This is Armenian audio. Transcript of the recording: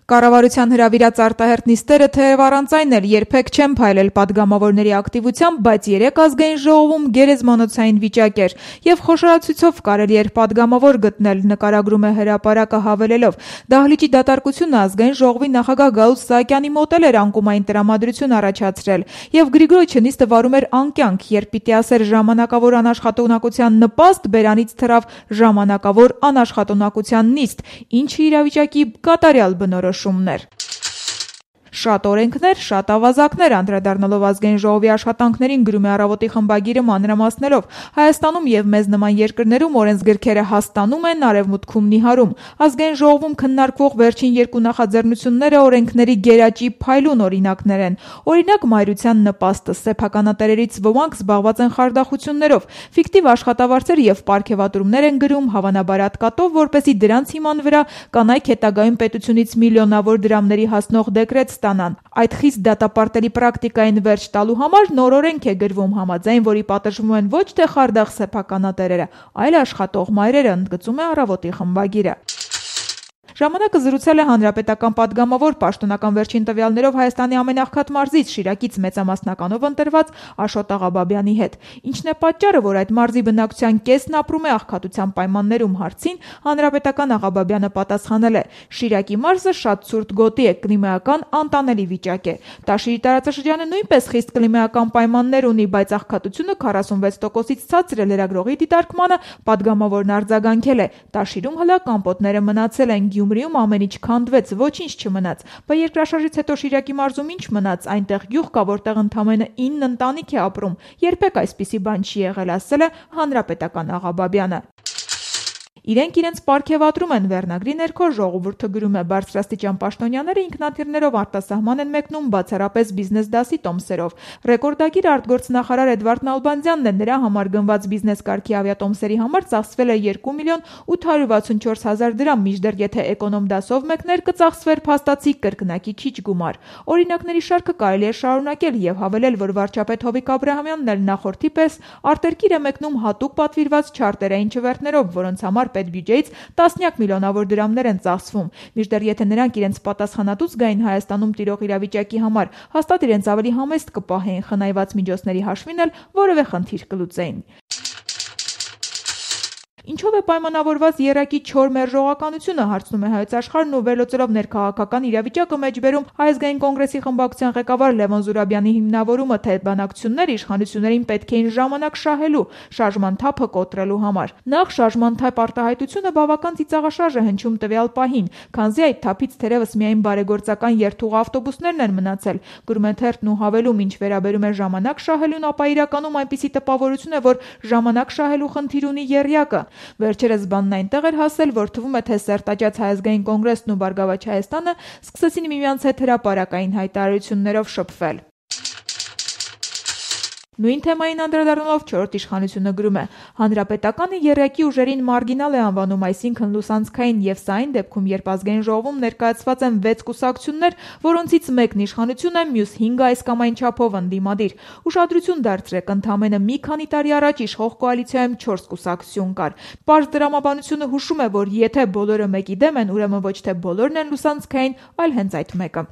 Կառավարության հրավիրած արտահերթ նիստերը թեև առանց այն էլ երբեք չեն փայլել պատգամավորների ակտիվությամբ, բայց երեք ազգային ժողովում գերեզմանոցային վիճակ էր եւ խոշորացույցով կարելի էր պատգամավոր գտնել, նկարագրում է Հրապարակը հավելելով. դահլիճի դատարկությունը ազգային ժողովի նախագահ Գալուստ Սահակյանի մոտ էլ էր անկումային տրամադրություն առաջացրել եւ Գրիգորիչը նիստը վարում էր անկյանք, երբ պիտի ասեր ժամանակավոր անաշխատունակության նպաստ, բերանից թռավ ժամանակավոր անաշխատունակության նիստ, ինչը իրավիճակի կատարյալ բնորոշումն էր. Շատ օրենքներ, շատ ավազակներ, անդրադառնալով ազգային ժողովի աշխատանքներին գրում է Առավոտի խմբագիրը մանրամասներով. Հայաստանում եւ մեզ նման երկրներում օրենսգրքերը հաստանում են, արևմուտքում նիհարում. ազգային ժողովում քննարկվող վերջին երկու նախաձեռնությունները օրենքների գերաճի փայլուն օրինակներ են. օրինակ մայրության նպաստը, սեփականատերերից ոմանք զբաղված են խարդախություններով, ֆիկտիվ աշխատավարձեր եւ պարգեւատրումներ են գրում, հավանաբար հատկատով, որպեսզի դրանց հիման վրա կանայք հետագայում պետությունից միլիոնավոր դրամների հասնող դեկրետ ստանան. Այդ խիստ դատապարտելի պրակտիկային վերջ տալու համար նոր օրենք է գրվում, համաձայն որի պատժվում են ոչ թե խարդախ սեփականատերերը, այլ աշխատող մայրերը, ընդգծում է Առավոտի խմբագիրը. Ժամանակը զրուցել է հանրապետական պատգամավոր, պաշտոնական վերջին տվյալներով Հայաստանի ամենաղքատ մարզից, Շիրակից մեծամասնականով ընտրված Աշոտ Աղաբաբյանի հետ. ինչն է պատճառը, որ այդ մարզի բնակչության կեսն ապրում է աղքատության պայմաններում հարցին, հանրապետական Աղաբաբյանը պատասխանել է. Շիրակի մարզը շատ ցուրտ գոտի է, կլիմայական անտանելի վիճակ է. Տաշիրի տարածաշրջանը նույնպես խիստ կլիմայական պայմաններ ունի, բայց աղքատությունը 46%-ից ցածր է, լրագրողի դիտարկմանը պատգամավորն արձագանքել է. Տաշիրում հլա կամպոտները մնացել են, Գյումրիում ամեն ինչ քանդվեց, ոչինչ չմնաց, բայց երկրաշարժից հետո Շիրակի մարզում ինչ մնաց, այնտեղ գյուղ կա, որտեղ ընդամենը 9 ընտանիք է ապրում, երբեք այսպիսի բան չի եղել, ասել է հանրապետական Աղաբաբյանը. Իրենք իրենց պարգևատրում են, վերնագրի ներքո ժողովուրդը գրում է. բարձրաստիճան պաշտոնյաները ինքնաթիռներով արտասահման են մեկնում, բացառապես բիզնես դասի տոմսերով. ռեկորդագիր արտգործնախարար Էդվարդ Նալբանդյանն է, նրա համար գնված բիզնես կարգի ավիատոմսերի համար ծախսվել է 2 միլիոն 864 հազար դրամ, մինչդեռ եթե էկոնոմ դասով մեկներ կծախսվեր փաստացի կրկնակի քիչ գումար. օրինակների շարքը կարելի է շարունակել եւ հավելել, որ վարչապետ Հովիկ Աբրահամյանն էլ նախորդի պես արտերկիր է մեկնում հատուկ պատվիրված չարտերային չվերթներով, որոնց համար պետբյուջեից տասնյակ միլիոնավոր դրամներ են ծախսվում, մինչդեռ եթե նրանք իրենց պատասխանատու զգային Հայաստանում տիրող իրավիճակի համար, հաստատ իրենց ավելի համեստ կպահեին, խնայված միջոցների հաշվին էլ որևէ խնդիր կլուծեին. Ինչով է պայմանավորված եռակի չոր մերժողականությունը, հարցնում է Հայոց Աշխարհն ու վերլուծելով ներքաղաքական իրավիճակը մեջբերում Հայ ազգային կոնգրեսի խմբակցության ղեկավար Լևոն Զուրաբյանի հիմնավորումը, թե բանակցություններ իշխանություններին պետք էին ժամանակ շահելու, շարժման թափը կոտրելու համար. նախ շարժման թափ արտահայտությունը բավական ծիծաղաշարժ է հնչում տվյալ պահին, քանզի այդ թափից թերևս միայն բարեգործական երթուղ ավտոբուսներն են մնացել, գրում է թերթն ու հավելում, ինչ վերաբերում է ժամանակ շահելուն, ապա իրականում այնպիսի տպավորություն է, որ ժամանակ շահելու խնդիր ունի եռյակը. Վերջերս բանն այնտեղ էր հասել, որ թվում է, թե սերտաճած Հայ ազգային կոնգրեսն ու Բարգավաճ Հայաստանը սկսեցին միմյանց հետ հրապարակային հայտարարություններով շփվել. Նույն թեմային անդրադառնալով չորրորդ իշխանությունը գրում է. հանրապետականը եռյակի ուժերին մարգինալ է անվանում, այսինքն լուսանցքային, եւ սա այն դեպքում, երբ ազգային ժողովում ներկայացված են 6 կուսակցություններ, որոնցից մեկն իշխանություն է, մյուս 5-ը այս կամ այն չափով ընդդիմադիր. ուշադրություն դարձրեք, ընդամենը մի քանի տարի առաջ իշխող կոալիցիայում 4 կուսակցություն կար. Պարզ դրամաբանությունը հուշում է, որ եթե բոլորը մեկի դեմ են, ուրեմն ոչ թե բոլորն են լուսանցքային, այլ հենց այդ մեկը.